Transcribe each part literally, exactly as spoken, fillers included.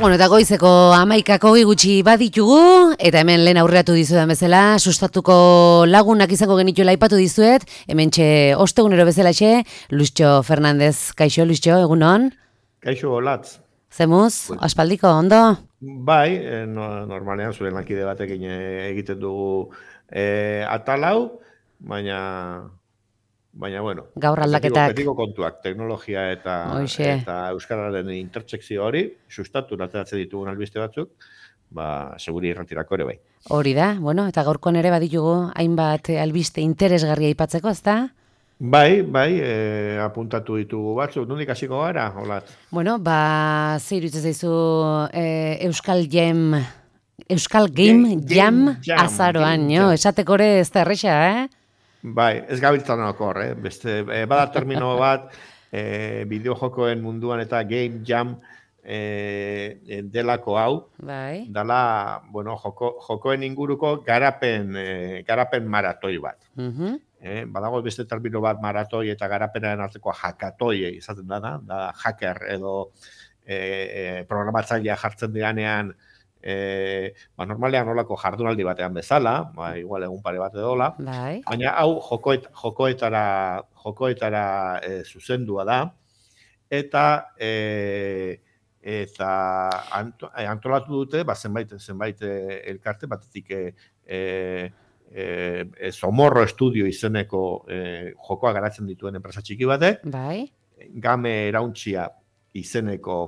Bueno, eta goizeko hamaikako gutxi baditugu, eta hemen lehen aurreatu dizudan bezala, sustatuko lagunak izango genituela aipatu dizuet, hemen txe ostegunero bezala txe, Luischo Fernandez. Kaixo, Luischo, egunon? Kaixo, olatz. Zemuz, aspaldiko, ondo? Bai, no, normalean zuen lankide batekin egiten dugu e, atalau, baina... Baina, bueno, gaur aldaketak. Betiko kontuak, teknologia eta, eta euskararen intertsekzio hori, sustatu ateratzen ditugun albiste batzuk, ba, seguri irratirako ere bai. Hori da, bueno, eta gaurkoan ere baditugu hainbat albiste interesgarria aipatzeko, ezta? Bai, bai, e, apuntatu ditugu batzuk, nondik hasiko gara, Olat? Bueno, ba, ze iruditzen zaizu e, Euskal Jam, Euskal Game, game Jam, jam azaroan, jo, esateko ere ez da erresa, eh? Bai, ez gabiltzan okor, eh? Beste, eh, bada termino bat, eh, bideojokoen munduan eta game jam eh, delako hau, bai. dala, bueno, joko, jokoen inguruko garapen, eh, garapen maratoi bat. Uh-huh. eh, badago beste termino bat maratoi eta garapenaren arteko hakatoi izaten dana, da hacker edo eh, programatzailea jartzen dianean, E, ba, normalean nolako jardunaldi batean bezala, ba, igual egun pare bat edola, bai. baina hau jokoet, jokoetara, jokoetara e, zuzendua da, eta e, eta anto, antolatu dute, ba, zenbait, zenbait elkarte, batetik e, e, e, Somorro Estudio izeneko e, jokoa garatzen dituen enpresa txiki batek, bai. Game Erauntxia izeneko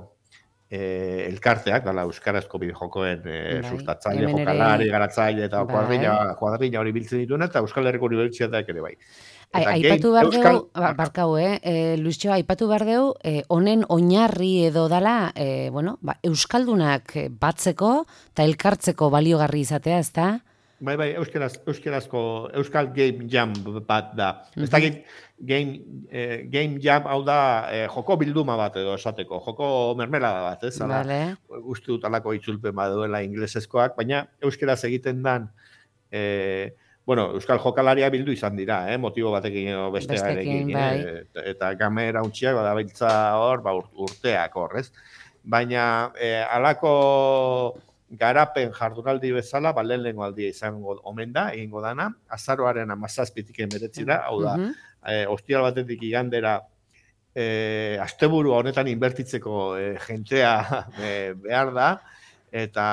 Eh, elkarteak, dala euskarazko bideojokoen eh, bai, sustatzaile, jokalari, ere... garatzaile eta bai. kuadrilla, kuadrilla hori biltzen dituen eta Euskal Herriko Unibertsitateak ere bai. Eta aipatu behar Euskal... deu, barkau, eh? E, Luischo, aipatu behar deu, eh, honen oinarri edo dala, eh, bueno, ba, Euskaldunak batzeko eta elkartzeko baliogarri izatea, ez da? Bai, bai, euskaraz, euskarazko Euskal Game Jam bat da. Mm-hmm. Ez dakit, game, eh, game Jam hau da eh, joko bilduma bat edo esateko, joko mermelada bat, ez? Vale. Uste dut alako itzulpen baduela inglesezkoak, baina euskaraz egiten dan, eh, bueno, Euskal Jokalaria bildu izan dira, eh, motibo batekin edo bestearekin, bai. eh, eta Game Erauntxiak badabiltza hor, ba, urteak hor, ez? Baina eh, alako... garapen jardunaldi bezala, ba, lehen lehenko aldia izango omen da, egingo dana, azaroaren amazazpitik emeretzira, hau da, uh-huh. e, ostial batetik igandera, e, asteburu honetan inbertitzeko e, jentea e, behar da, eta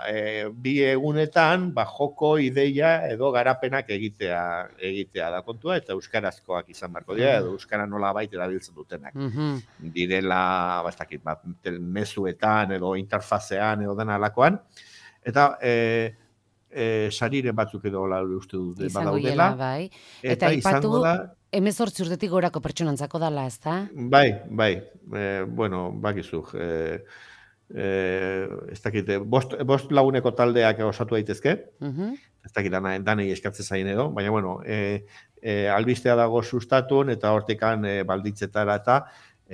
e, bi egunetan, ba, joko ideia edo garapenak egitea egitea da kontua, eta euskarazkoak izan barko dira, edo euskara nola baita erabiltzen dutenak. Uh-huh. Direla, bastakit, ba, mezuetan edo interfazean edo dena alakoan, eta e, e, sariren batzuk edo la uste dut badaudela. Bai. Eta, eta ipatu, da, hemezortzi urtetik gorako pertsonantzako dala, ez da? Bai, bai, e, bueno, bakizuk, e, Eh, ez dakite, bost, bost laguneko taldeak osatu daitezke, uh-huh. ez dakit danei eskatzen zain edo, baina bueno, e, e, albistea dago sustatun eta hortikan e, balditzetara eta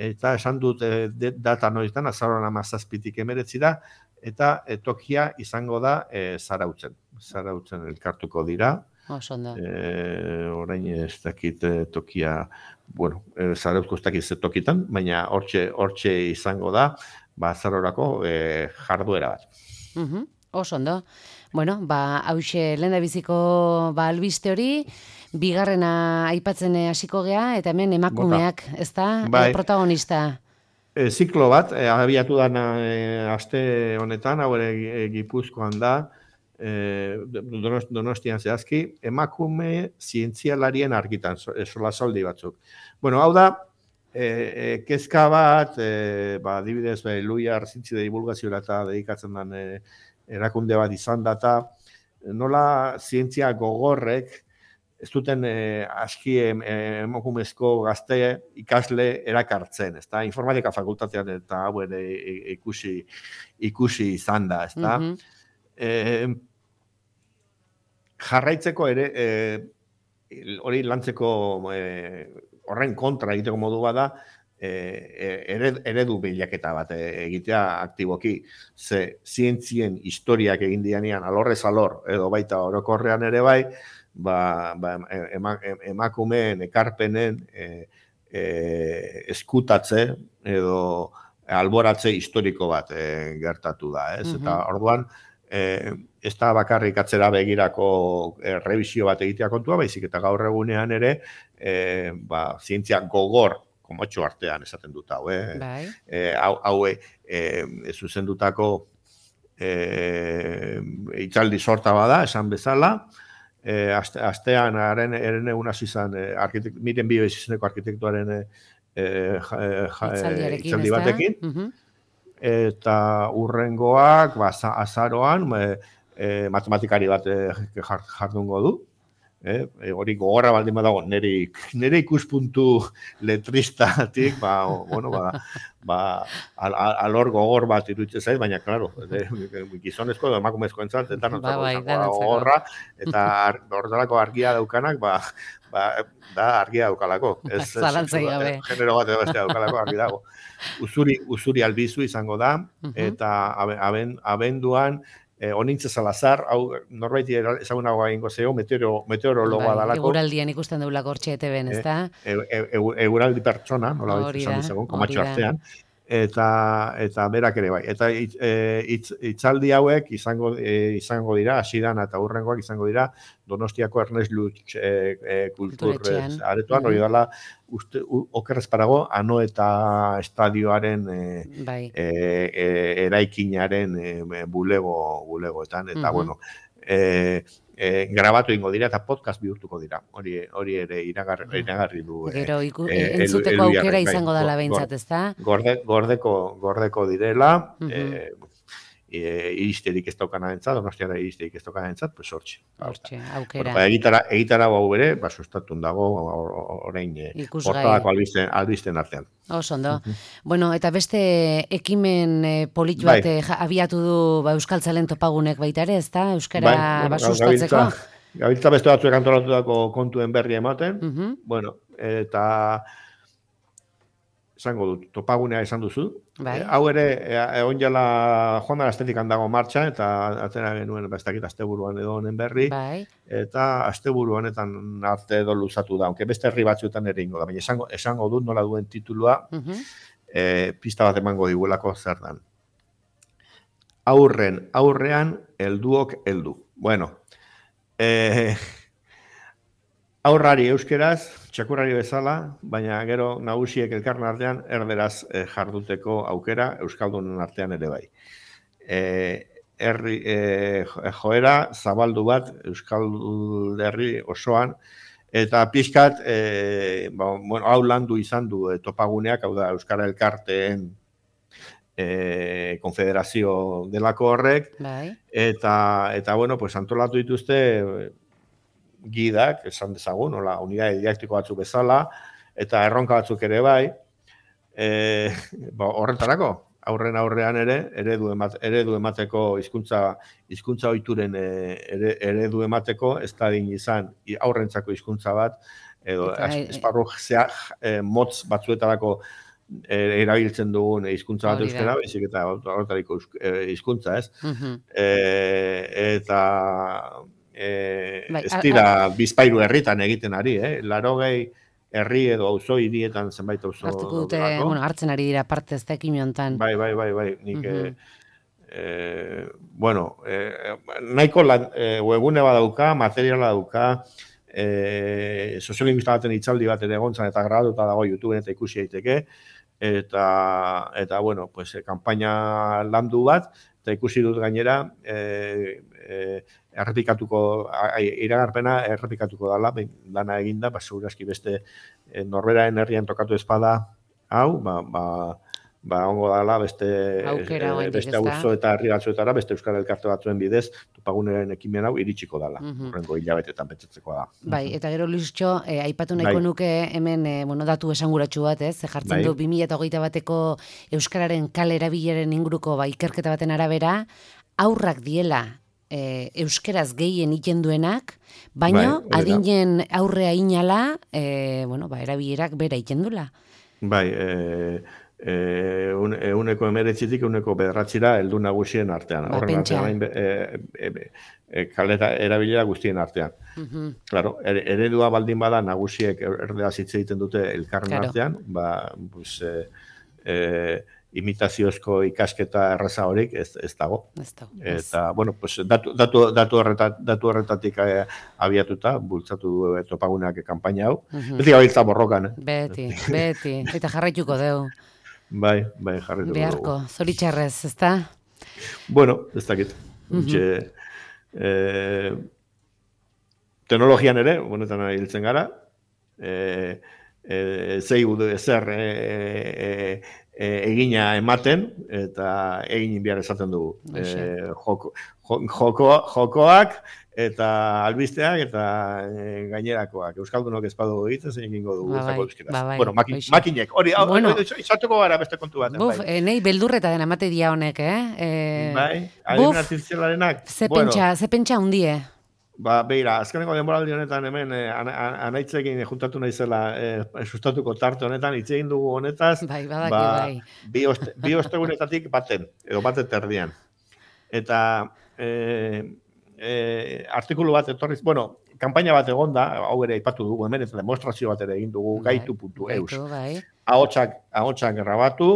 eta esan dut e, data noiztan, azaroan amazazpitik emeretzi da, eta e, tokia izango da e, zarautzen, zarautzen elkartuko dira. Osondo. E, orain ez dakit e, tokia, bueno, e, zarauzko ez dakit tokitan, baina hortxe, hortxe izango da, ba, zarorako e, jarduera bat. Uh-huh. Oso ondo. Bueno, ba, hause lehen da biziko ba, albiste hori, bigarrena aipatzen hasiko gea, eta hemen emakumeak, ez da, bai. e, protagonista? E, ziklo bat, e, abiatu dana e, aste honetan, hau ere e, Gipuzkoan da, e, Donostian zehazki, emakume zientzialarien argitan, sola soldi batzuk. Bueno, hau da, E, e, kezka bat, e, ba, adibidez, e, Luia Arzintzide divulgazioa eta dedikatzen den e, erakunde bat izan data, nola zientzia gogorrek ez duten e, aski emakumezko gazte ikasle erakartzen, ezta? Informatika fakultatean eta hau ere ikusi, ikusi izan da, ezta? Mm-hmm. E, jarraitzeko ere, e, hori lantzeko e, horren kontra egiteko modu bada, ered, eredu bilaketa bat egitea aktiboki. Ze zientzien historiak egin dianean alorrez alor, edo baita orokorrean ere bai, ba, ba, emakumeen, ekarpenen e, e, eskutatze, edo alboratze historiko bat e, gertatu da, ez? Mhm. Eta orduan, e, ez da bakarrik atzera begirako e, revisio bat egitea kontua, baizik eta gaur egunean ere, e, ba, zientzia gogor, komotxo artean esaten dut hau, eh? Bai. E, hau, hau e, zuzendutako e, itzaldi sorta bada, esan bezala, e, aste, astean haren eren egun hasi zen, e, miren bio izeneko arkitektuaren e, ja, ja, itzaldi batekin, uh-huh. Eta urrengoak, ba, azaroan, e, e, matematikari bat e, jardungo du. Eh, hori gogorra baldin badago, nire, nire ikuspuntu letristatik, ba, bueno, ba, ba, al, al, alor gogor bat iruditzen zait, baina, klaro, gizonezko edo emakumezko entzat, eta nantzako ba, bai, gogorra, eta ar, horretarako argia daukanak, ba, ba, da argia daukalako. Ez, Zalantzai gabe. Genero bat edo bestea daukalako argi dago. Uzuri, uzuri albizu izango da, eta aben, abenduan, Eh, Onintze Salazar, hau norbaiti ezagunago egingo zeo, meteoro, meteorologoa dalako. Eguraldian ikusten deulako hortxe E T B-en, ez da? Eguraldi pertsona, nola baita esan dizagun, komatxo artean. Eta, eta berak ere bai. Eta itz, itz, itzaldi hauek izango, e, izango dira, hasidan eta hurrengoak izango dira, Donostiako Ernest Lutz e, e, kultur aretoan, hori dala, uste, okerrez parago, Anoeta estadioaren e, bai. e, e, eraikinaren e, bulego, bulegoetan, eta uh-huh. bueno, e, e, grabatu ingo dira eta podcast bihurtuko dira. Hori hori ere iragarri, iragarri du. Gero, iku, e, entzuteko el, el, aukera izango dela behintzat, ez da? Gorde, gordeko, gordeko direla, uh-huh. e, E, iristerik ez daukana entzat, Donostiara iristerik ez daukana entzat, pues hortxe. Hortxe, aukera. Bueno, egitara, egitara bau bere, ba, sustatun dago, orain, portadako albisten, albisten artean. Oso, ondo. Uh-huh. Bueno, eta beste ekimen e, polit bat bai. abiatu du ba, Euskaltzalen topagunek baita ere, ez da? Euskara bai, bueno, ba, sustatzeko? Gabiltza beste batzuek antolatutako kontuen berri ematen, uh-huh. bueno, eta esango dut, topagunea esan duzu. Bai. E, hau ere, egon e, jala joan dara estetik handago martxa, eta atzera genuen, ba, ez dakit, asteburuan edo honen berri, bai. Eta asteburu honetan arte edo luzatu da, aunque beste herri batzuetan ere ingo da, baina esango, esango dut nola duen titulua, uh-huh. e, pista bat emango diguelako zer dan. Aurren, aurrean, helduok heldu. Bueno, eh, aurrari euskeraz, txakurrari bezala, baina gero nagusiek elkarren artean erderaz eh, jarduteko aukera euskaldunen artean ere bai. Eh, herri, eh, joera zabaldu bat euskal herri osoan, eta pixkat, eh, ba, bueno, hau landu izan du eh, topaguneak, hau da Euskara Elkarteen eh, konfederazio delako horrek, bai. eta, eta bueno, pues, antolatu dituzte, gidak, esan dezagun, hola, unidade didaktiko batzuk bezala, eta erronka batzuk ere bai, e, ba, horretarako, aurren aurrean ere, eredu, emat, eredu emateko hizkuntza hizkuntza ohituren e, ere, eredu emateko, ez da din izan aurrentzako hizkuntza bat, edo esparru zeak e, motz batzuetarako e, erabiltzen dugun hizkuntza bat euskara, baizik eta horretariko hizkuntza, ez? Uh-huh. e, eta Eh, bai, ez dira bizpairu herritan egiten ari, eh? Larogei herri edo auzo hirietan zenbait auzo. Hartuko dute, bueno, hartzen ari dira parte ez da ekin hontan. Bai, bai, bai, bai, nik uh-huh. eh, bueno, eh, nahiko lan, eh, webune badauka, materiala dauka, eh, soziolinguista baten itzaldi bat ere egontzan eta grabatuta dago YouTubeen eta ikusi daiteke, eta, eta bueno, pues, kanpaina landu bat, eta ikusi dut gainera, eh, eh, errepikatuko, iragarpena errepikatuko dala, lana eginda, ba, segurazki beste e, norberaen herrian tokatu espada, hau, ba, ba, ba ongo dala beste, aukera, e, beste auzo eta herri batzuetara, beste Euskal Elkarte batzuen bidez, topaguneren ekimen hau iritsiko dala, uh-huh. horrengo hilabetetan pentsatzeko da. Bai, eta gero Luistxo, eh, aipatu nahiko bai. nuke hemen eh, bueno, datu esanguratsu bat, ez? Jartzen bai. du bi mila hogeita bateko Euskararen kale erabileren inguruko ba, ikerketa baten arabera, aurrak diela, E, euskeraz gehien iten duenak, baina bai, adinen aurrea inala, e, bueno, ba, erabilerak bera iten dula. Bai, e, e, un, e, uneko emeretzitik uneko bederatzira heldu nagusien artean. Ba, Horren artean, e, e, e, kaleta erabilera guztien artean. Uh-huh. Claro, er, eredua baldin bada nagusiek erdeaz hitz egiten dute elkarren claro. artean, ba, pues, e, e, imitaziozko ikasketa erraza horik ez, ez dago. Ez dago. Eta, bueno, pues, datu, datu, datu, horretat, datu horretatik eh, abiatuta, bultzatu du eh, topagunak kanpaina hau. Mhm. Beti gabiltza borrokan, eh? Beti, beti. Eta jarraituko deu. Bai, bai, jarrituko dugu. Beharko, zoritxarrez, ezta? Bueno, ez dakit. Untxe, eh, teknologian ere, honetan hiltzen gara, eh, eh, zei zer eh, eh, egina ematen, eta egin behar esaten dugu. Eh, joko, joko, jokoak, eta albizteak, eta e, gainerakoak. Euskaldunok ez badu egiten, zein egingo dugu. Ba, bai, ba, bai, bueno, maki, makinek, hori, bueno, izatuko gara beste kontu baten. Buf, bai. Nei beldurreta den amate dia honek, eh? E, bai, adimen artifizialarenak. Ze bueno, pentsa, ze pentsa hundie? Ba, beira, azkeneko denboraldi honetan hemen eh, anaitzekin juntatu naizela eh, sustatuko tarte honetan, hitz egin dugu honetaz, bai, badaki, ba, bai. bi, oste, bi ostegunetatik baten, edo baten terdian. Eta eh, eh, artikulu bat etorriz, bueno, kanpaina bat egonda, hau ere aipatu dugu, hemen eta demostrazio bat ere egin dugu, bai, gaitu puntu eus. Bai. Ahotsak, ahotsak grabatu,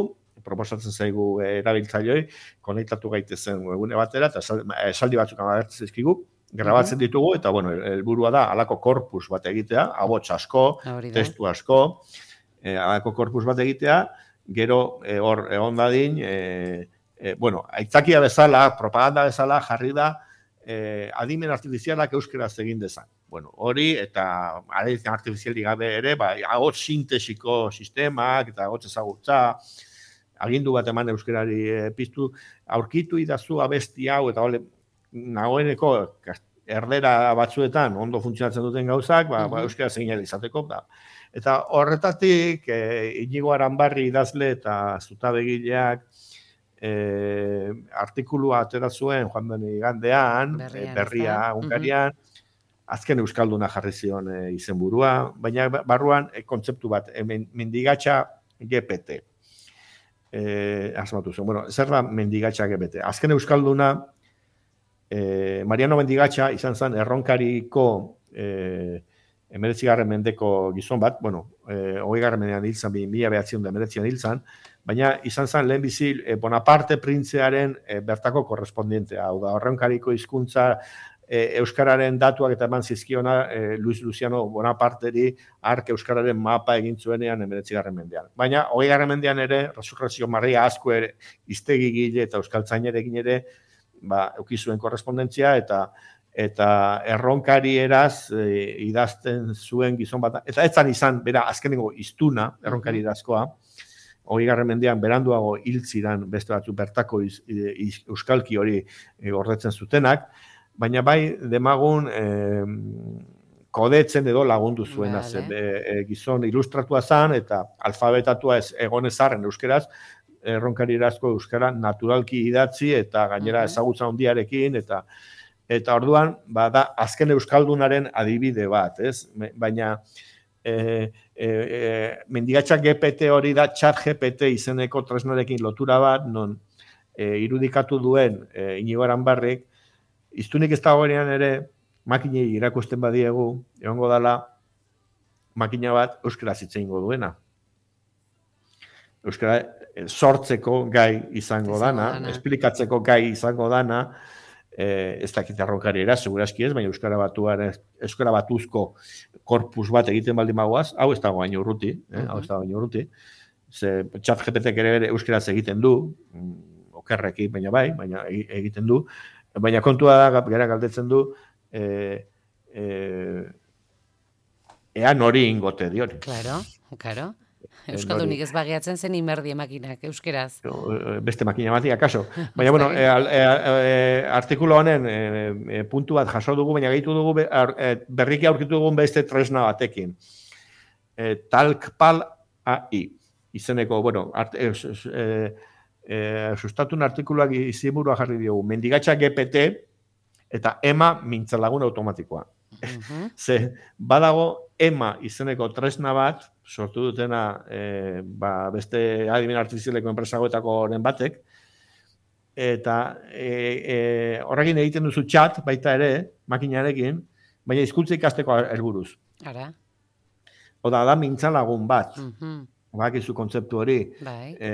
proposatzen zaigu erabiltzaileoi, konektatu gaitezen webgune batera, eta esaldi batzuk agertzen zaizkigu, grabatzen ditugu, eta, bueno, helburua da, halako korpus bat egitea, ahots asko, testu asko, eh, halako korpus bat egitea, gero hor eh, egon dadin, eh, eh, bueno, aitzakia bezala, propaganda bezala, jarri da, eh, adimen artifizialak euskeraz egin dezan. Bueno, hori, eta adimen artifizialik gabe ere, ba, ahots sintesiko sistemak, eta ahots ezagutza, agindu bat eman euskerari eh, piztu, aurkitu idazu abesti hau, eta hole, nagoeneko erdera batzuetan ondo funtzionatzen duten gauzak, ba, ba, euskara zegin izateko. Ba. Eta horretatik, e, Inigo Aranbarri idazle eta zutabegileak e, artikulua atera zuen joan den igandean, berria, berria Hungarian, uh -huh. azken euskalduna jarri zion e, izenburua, baina barruan e, kontzeptu bat, e, mendigatxa G P T. E, asmatu zuen. Bueno, zer da mendigatxa G P T? Azken euskalduna Eh, Mariano Mendigatxa izan zen erronkariko eh, emeretzigarren mendeko gizon bat, bueno, eh, hogeigarren mendean hil zen, mila behatziehun eta emeretzian hil zen, baina izan zen lehenbizi eh, Bonaparte printzearen eh, bertako korrespondientea, hau da, erronkariko hizkuntza eh, euskararen datuak eta eman zizkiona eh, Luis Luciano Bonaparteri ark euskararen mapa egin zuenean emeretzigarren mendean. Baina hogeigarren mendean ere, Resurrezio Maria Azkue iztegigile eta euskaltzainerekin ere, ba, eukizuen korrespondentzia, eta eta erronkari eraz e, idazten zuen gizon bat, eta etzan izan, bera, azkenengo iztuna, erronkari erazkoa, hogeigarren mendean beranduago hiltziran beste batzu bertako iz, iz, euskalki hori e, gordetzen zutenak, baina bai, demagun e, kodetzen edo lagundu zuena, vale. Ze, e, gizon ilustratua zan, eta alfabetatua ez egonezarren euskeraz, erronkari erazko euskara naturalki idatzi eta gainera uh-huh. ezagutza handiarekin eta eta orduan bada azken euskaldunaren adibide bat, ez? Baina e, e, e, mendigatxa G P T hori da Chat G P T izeneko tresnarekin lotura bat, non e, irudikatu duen e, Inigo Aranbarrik, iztunik ez dagoenean ere makinei irakusten badiegu, egongo dala makina bat euskaraz hitz egingo duena. Euskara sortzeko gai izango dana, dana, esplikatzeko gai izango dana, eh, ez dakit erronkari era, seguraski ez, baina Euskara batuaren, Euskara batuzko korpus bat egiten baldin bagoaz, hau ez dago baino urruti, eh, uh-huh. hau ez dago baino urruti, ze Chat G P T ere euskaraz egiten du, okerrekin, baina bai, baina egiten du, baina kontua da, gara galdetzen du, eh, eh, ea nori ingote diori. Claro, claro. Euskaldunik ez bageatzen zen inberdi makinak, euskeraz. Beste makina bati, akaso. Baina, bueno, e, e, e, artikulo honen e, e, puntu bat jaso dugu, baina gehitu dugu e, berriki aurkitu dugun beste tresna batekin. E, Talkpal A I. Izeneko, bueno, art, e, e, e, sustatun artikuluak iziburua jarri diogu. Mendigatxa G P T eta ema mintzalagun automatikoa. Uh-huh. Ze, badago ema izeneko tresna bat, sortu dutena e, ba, beste adimen artifizialeko enpresagoetako horren batek, eta e, e, horrekin egiten duzu chat, baita ere, makinarekin, baina hizkuntza ikasteko helburuz. Ara. Oda, da mintzalagun bat. Uh-huh. bakizu kontzeptu hori, bai. e,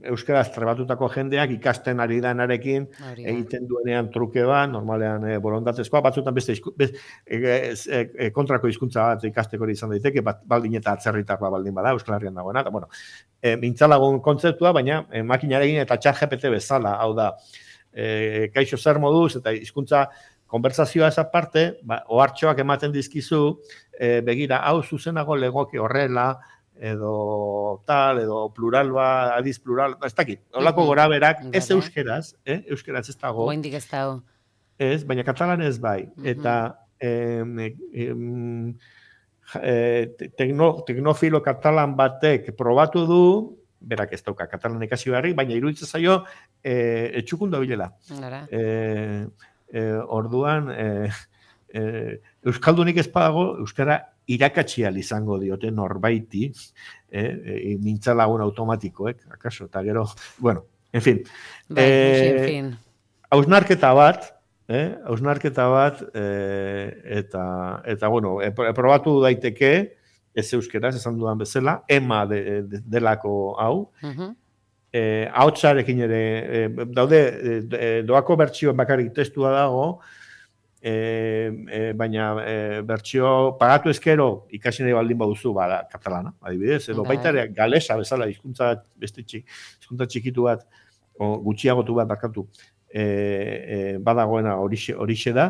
euskaraz trebatutako jendeak ikasten ari danarekin, egiten duenean truke bat, normalean e, borondatezkoa, batzutan beste izku, bez, e, e, e, kontrako hizkuntza bat ikasteko izan daiteke, bat, baldin eta atzerritarra baldin bada, Euskal Herrian dagoena, eta bueno, e, mintzalagun kontzeptua, baina e, makinarekin eta txat G P T bezala, hau da, e, kaixo zer moduz, eta hizkuntza konbertsazioa eza parte, ba, ohartxoak ematen dizkizu, e, begira, hau zuzenago legoke horrela, edo tal, edo plural ba, adiz plural, ez dakit, holako gora berak, ez euskeraz, eh? euskeraz ez dago. Goindik ez dago. Ez, baina katalan ez bai. Eta em, em, e, tekno, teknofilo katalan batek probatu du, berak ez dauka katalan ikasi beharrik, baina iruditzen zaio e, etxukun da bilela. E, e, orduan, e, e, euskaldunik ez badago, euskara irakatsi ahal izango diote norbaiti, eh, e, mintzalagun automatikoek, akaso, eta gero, bueno, en fin. Bai, eh, en fin. Hausnarketa bat, eh, hausnarketa bat, eh, eta, eta, bueno, e, probatu daiteke, ez euskeraz, esan dudan bezala, ema de, de, delako hau, uh-huh. eh, haotxarekin ere, eh, daude, eh, doako bertsioen bakarrik testua dago, E, e, baina e, bertsio pagatu ezkero ikasi nahi baldin baduzu bada katalana, adibidez, edo baita ere galesa bezala hizkuntza beste txik, hizkuntza txikitu bat o gutxiagotu bat bakatu e, e, badagoena horixe horixe da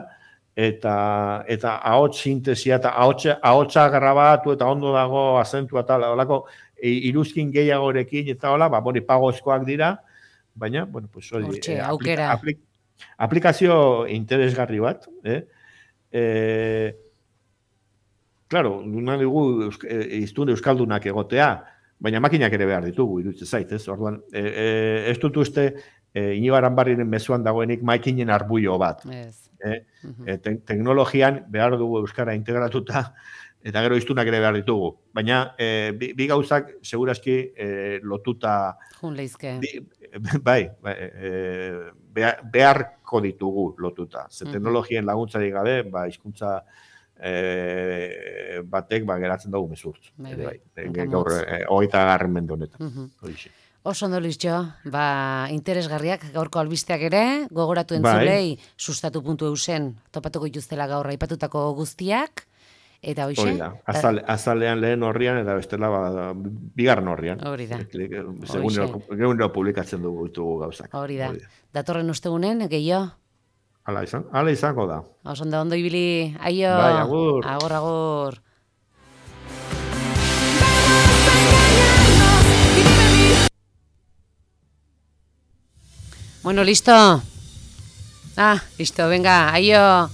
eta eta ahots sintesia eta ahotsa ahotsa grabatu eta ondo dago azentua ta holako e, iruzkin gehiagorekin eta hola, ba hori pagozkoak dira, baina bueno, pues hori e, aukera aplik, aplikazio interesgarri bat, eh? Eh, claro, nuna dugu iztun euskaldunak egotea, baina makinak ere behar ditugu, iruditzen zait, ez? Orduan, e, e, ez dut uste e, Inibaran Barriren mezuan dagoenik makinen arbuio bat. Yes. Eh? Uh-huh. e, te, teknologian behar dugu euskara integratuta, eta gero iztunak ere behar ditugu. Baina, e, bi, bi gauzak, segurazki, e, lotuta... Jun leizke. Bai, bai e, beharko ditugu lotuta. Ze teknologien laguntzari gabe, ba, hizkuntza e, batek ba, geratzen dugu mezurtz. Bai, bai. E, gaur, e, hogeita garren mende honetan. Uh-huh. Oso ondo, Luisjo, ba, interesgarriak gaurko albisteak ere, gogoratu entzulei, bai. Sustatu puntu eusen, topatuko ituztela gaur aipatutako guztiak, eta hoxe? Hori da, Azale, azalean lehen horrian, eta bestela ba, bigarren horrian. Hori da. Segun publikatzen dugu ditugu gauzak. Hori da. Datorren ostegunen, gehiago? Hala izan, hala izango da. Oso ondo ondo ibili, aio. Bai, agur. Agur, agur. Bueno, listo. Ah, listo, venga, aio.